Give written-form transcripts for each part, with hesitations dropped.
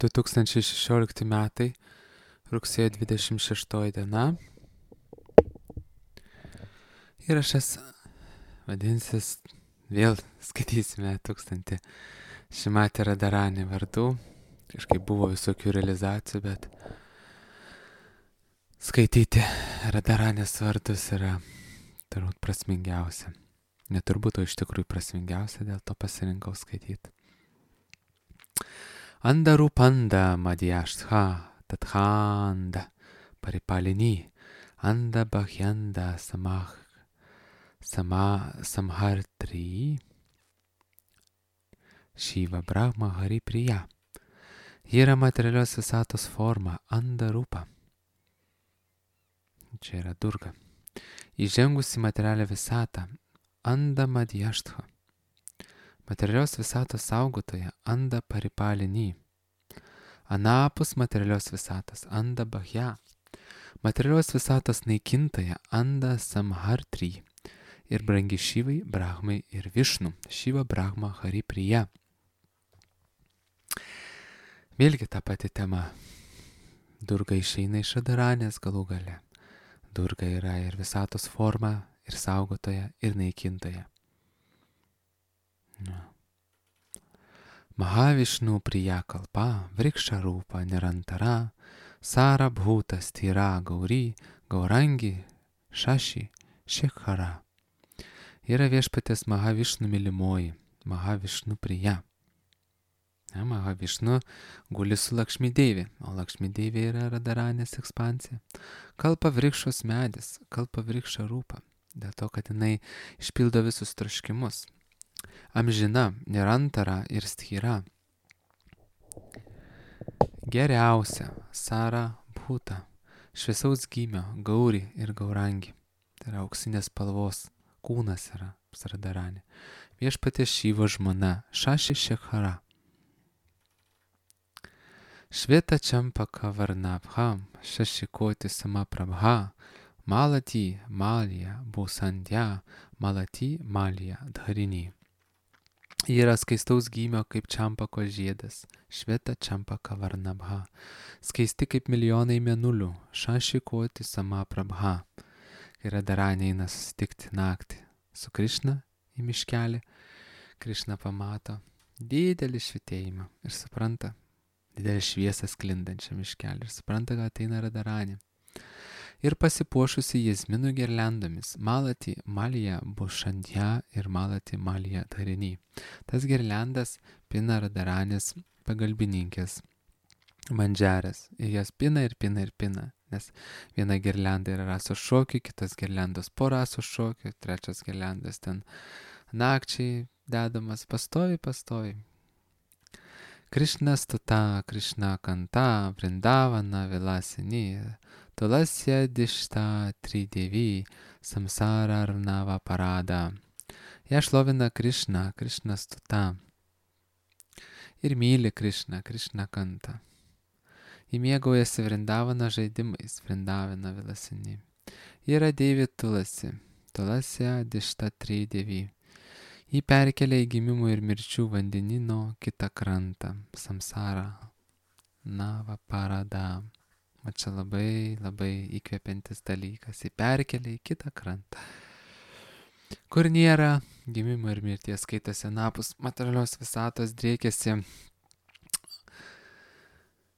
2016 metai, rugsėjo 26 diena. Įrašas vadinsis, vėl skaitysime 1000 Šimatė Radharani vardų. Kažkaip buvo visokių realizacijų, bet skaityti Radharanės vardus yra turbūt prasmingiausia. Neturbūt, o iš tikrųjų prasmingiausia, dėl to pasirinkau skaityti. Andarupanda madhyashtha tathanda paripalini anda bhahyanda samhartri Shiva Brahma Hari Priya. Ji yra materialios visatos forma, Andarupa. Čia yra Durga. Įžengusi materialią visatą, Anda Madhyashtha. Materialios visatos saugotoja, Anda Paripalini. Anapus materialios visatos, Anda Bahya. Materialios visatos naikintoja, Anda Samhartri. Ir brangi Šivai, Brahmai ir Višnu. Šiva Brahma Hari Priya. Vėlgi ta pati tema. Durga išeina iš Radharanės galų gale. Durga yra ir visatos forma, ir saugotoja, ir naikintoja. Mahavishnu Priya Kalpa, Vriksha Rupa Nirantara, Sara Bhuta Stira Gauri, Gaurangi, Šaši, Shekhara. Yra viešpatės Mahavishnu mylimoji, Mahavishnu Priya. Mahavishnu guli su Lakšmi Devi, o Lakšmi Devi yra Radharanės ekspansija. Kalpa Vrikšos medis, Kalpa Vriksha Rupa, dėl to, kad jinai išpildo visus troškimus. Amžina, Nirantara ir Sthira. Geriausia, Sara Bhuta, šviesaus gymio, Gauri ir Gaurangi. Tai yra auksinės spalvos kūnas yra Radharanė. Viešpatės Šivo žmona, Šaši Shekhara. Šveta Čampaka Varnabha, Šašikoti Samaprabha, Malati Malya Bhusandhya, Malati Malya Dharini. Ji yra skaistaus gymio kaip Čampako žiedas, Šveta Čampaka Varnabha, skaisti kaip milijonai mėnulių, Šašikoti Samaprabha. Kai Radharanė eina susitikti naktį su Krišna į miškelį, Krišna pamato didelį švytėjimą ir supranta, didelį šviesą sklindančią miškelį ir supranta, kad ateina Radharanė. Ir pasipuošusi jazminų girliandomis, Malati Malya Bhusandhya ir Malati Malya Dharini. Tas girliandas pina Radharanės pagalbininkės mandžerės. Ir jas pina ir pina ir pina. Nes viena girlianda yra rasos šokių, kitas girliandas po rasos šokių, trečias girliandas ten nakčiai dedamas pastovi. Krishna stuta, Krishna kanta, Vrindavana vilasini, Tulasya dishta tridevi, samsara arnava parada. Ją šlovina Krishna, Krishna stuta. Ir myli Krishna, Krishna kanta. Ji mėgaujasi Vrindavana žaidimais, Vrindavana vilasini. Ji yra Devi Tulasi, Tulasya dishta tridevi. Jį perkelia į gimimų ir mirčių vandenino kitą krantą, samsara, nava parada. O čia labai įkvepiantis dalykas. Jį perkelia į kitą krantą, kur nėra gimimo ir mirties, skaitosi anapus materialios visatos, driekiasi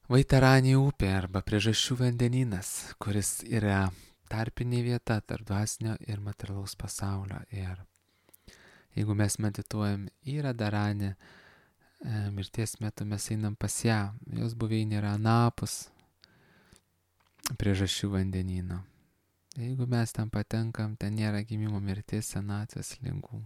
Vaitarani upė arba priežasčių vandenynas, kuris yra tarpinė vieta tarp dvasinio ir materialaus pasaulio. Ir jeigu mes medituojam į Radharanę, mirties metu mes einam pas ją, jos buveinė yra anapus priežasčių vandenyno. Jeigu mes ten patenkam, ten nėra gimimo, mirties, senatvės, ligų.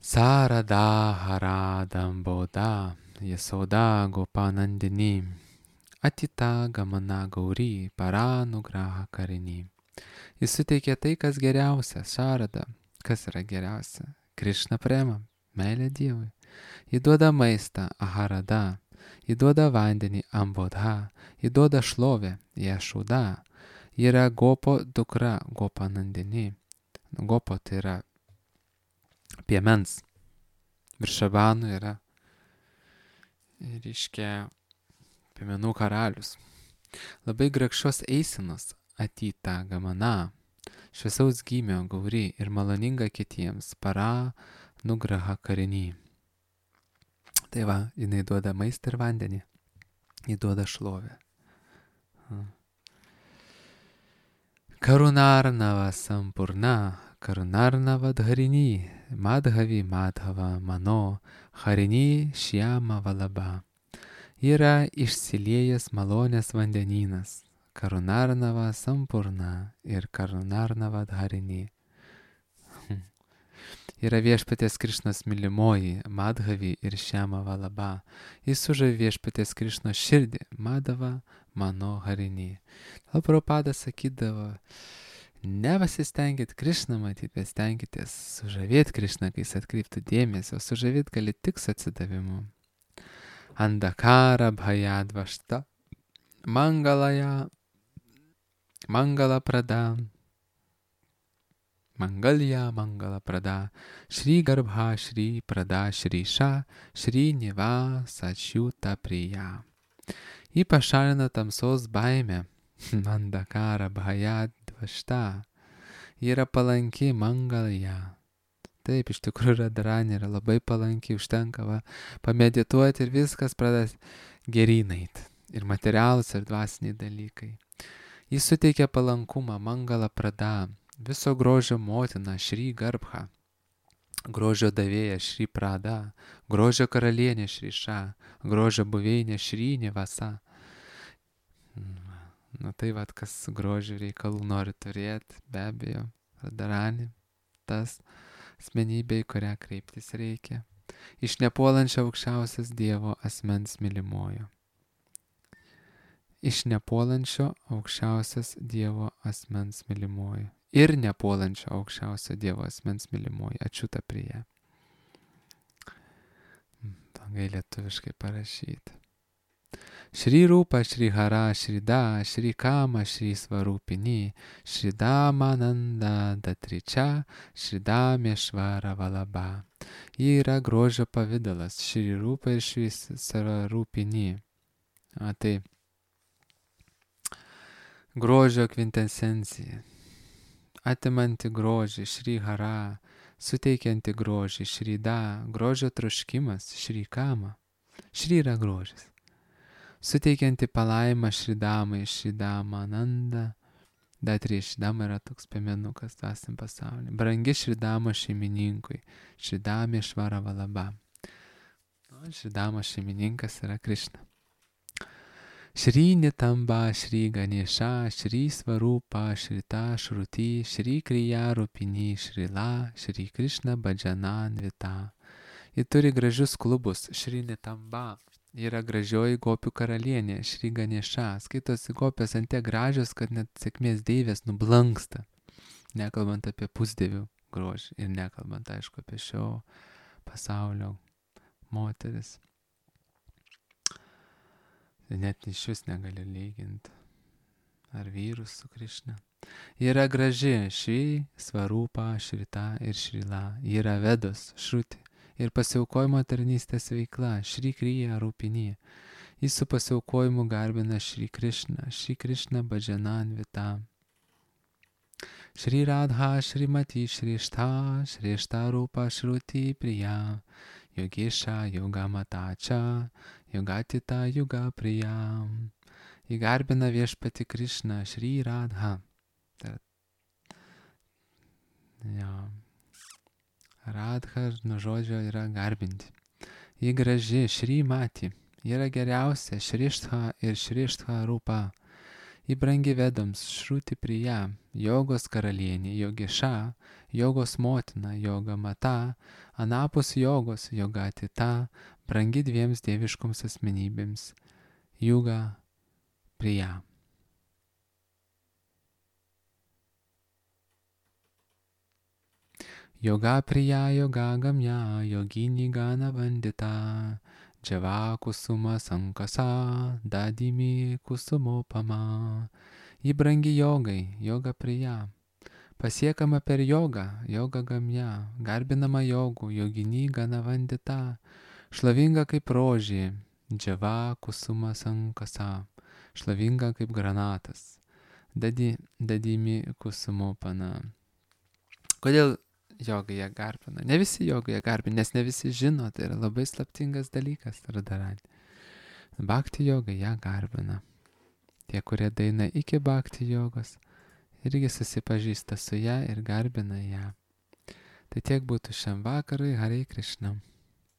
Sarada haradam bauda, Yasoda gopanandini, Atita gamana gauri, paranugraha karini. Jis suteikė tai, kas geriausia, Šarada. Kas yra geriausia? Krishna prema, meilė Dievui. Ji duoda maistą, Aharada. Ji duoda vandenį, Ambodha. Ji duoda šlovę, Yashoda. Ji yra Gopo dukra, Gopanandini. Gopo tai yra piemens. Viršabanų yra reiškia piemenų karalius. Labai grakščios eisenos atyta gamana, šviesaus gymio gauri ir maloninga kitiems para nugraha karinį. Tai va, jinai duoda maistą ir vandenį, ji duoda šlovę. Karunarnava sampurna, karunarnava dharini, madhavi madhava mano, harini šiama valaba. Yra išsiliejęs malonės vandenynas, karunarnava sampurna ir karunarnava dharini. Yra viešpaties Krišnos mylimoji, madhavi ir šiama valaba. Jis sužavi viešpaties Krišnos širdį, madhava mano harini. Prabhupadas sakydavo, nepasistengit Krišną matyti, bet stenkitės sužavėti Krišną, kai jis atkreiptų dėmesį, o sužavėti gali tik su atsidavimu. Andakara bhayadvašta mangalaya mangala prada mangalya mangala prada Shri Garbha Shri Prada Shri Sha Shri Niva Sačiuta Priya. Ji pašalina tamsos baimę. Andakara bhayadvašta. Ji yra palanki mangalya. Taip, iš tikrųjų radharani yra labai palanki, užtenka pamedituoti ir viskas pradės geryn eiti. Ir materialūs, ir dvasiniai dalykai. Jis suteikia palankumą, mangala prada, viso grožio motina, Shri Garbha, grožio davėja, Shri Prada, grožio karalienė, Shri Sha, grožio buveinė, Shri Nivasa. Na tai vad, kas grožio reikalų nori turėti, be abejo, radharani, tas asmenybė, į kurią kreiptis reikia. Iš nepuolančio aukščiausias Dievo asmens mylimojo. Iš nepuolančio aukščiausias Dievo asmens mylimojo. Ir nepuolančio aukščiausio Dievo asmens mylimojo. Ačiūta Priya. Tangai lietuviškai parašyti. Shri Rupa, Shri Hara, Shri Da, Shri Kama, Shri Svarupini, Shri Damananda Datričia, Shri Dameshvara Valaba. Ji yra grožio pavidalas, Shri Rupa ir Shri Svarupini. Tai grožio kvintesencija. Atimanti grožį, Shri Hara, suteikianti grožį, Shri Da, grožio troškimas, Shri Kama. Shri yra grožis. Suteikianti palaimą Šridamai, Šridamananda. Datri Šridama yra toks piemenukas dvasiniam pasaulyje. Brangi Šridama šeimininkui, Šridameshvara Valaba. Šridama šeimininkas yra Krišna. Shri Nitamba, Shri Ganesha, Shri Svarupa, Shrita Shruti, Shri Kriya Rupini, Shrila, Shri Krishna Bhajana Nvita. Ji turi gražius klubus, Shri Nitamba. Yra gražioji gopių karalienė, Shri Ganesha. Skaitosi gopės ant tiek gražios, kad net sėkmės deivės nublanksta. Nekalbant apie pusdievių grožį ir nekalbant, aišku, apie šio pasaulio moteris. Net iš vis negali lyginti ar vyrus su Krišna. Yra graži Shri Svarupa, Shrita ir Shrila. Yra Vedos, Shruti. Ir pasiaukojimo tarnystės veikla, Shri Kriya Rupini. Jis su pasiaukojimu garbina Shri Krishna Bhajana Nvita. Shri Radha, Shrimati, Shrishta Rupa, Shruti Priya, Yogesha, Yogamatacha, Yogatita, Yoga Priya. Ji garbina viešpati Krishna, Shri Radha. Radha nuo žodžio yra garbinti. Ji graži, Shri Mati. Ji yra geriausia, Shrishta ir Shrishta Rupa. Ji brangi Vedams, Shruti Priya, jogos karalienė, Yogesha, jogos motina, Yoga Mata, anapus jogos, Yogatita, brangi dviems dieviškoms asmenybėms, Yoga Priya. Yoga Priya, Yoga Gamya, Yogini Gana Vandita, Java Kusuma Sankasa, Dadimi Kusumopama. Ji brangi jogai, Yoga Priya. Pasiekama per jogą, Yoga Gamya, garbinama jogų, Yogini Gana Vandita, šlovinga kaip rožė, Džava kusuma sankasa, šlovinga kaip granatas. Dadimi kusumo pana. Kodėl jogai ją garbina? Ne visi jogai ją garbina, nes ne visi žino, tai yra labai slaptingas dalykas, Radharani. Bhakti jogai ją garbina. Tie, kurie daina iki bhakti jogos, irgi susipažįsta su ją ir garbina ją. Tai tiek būtų šiam vakarui, Hare Krishna.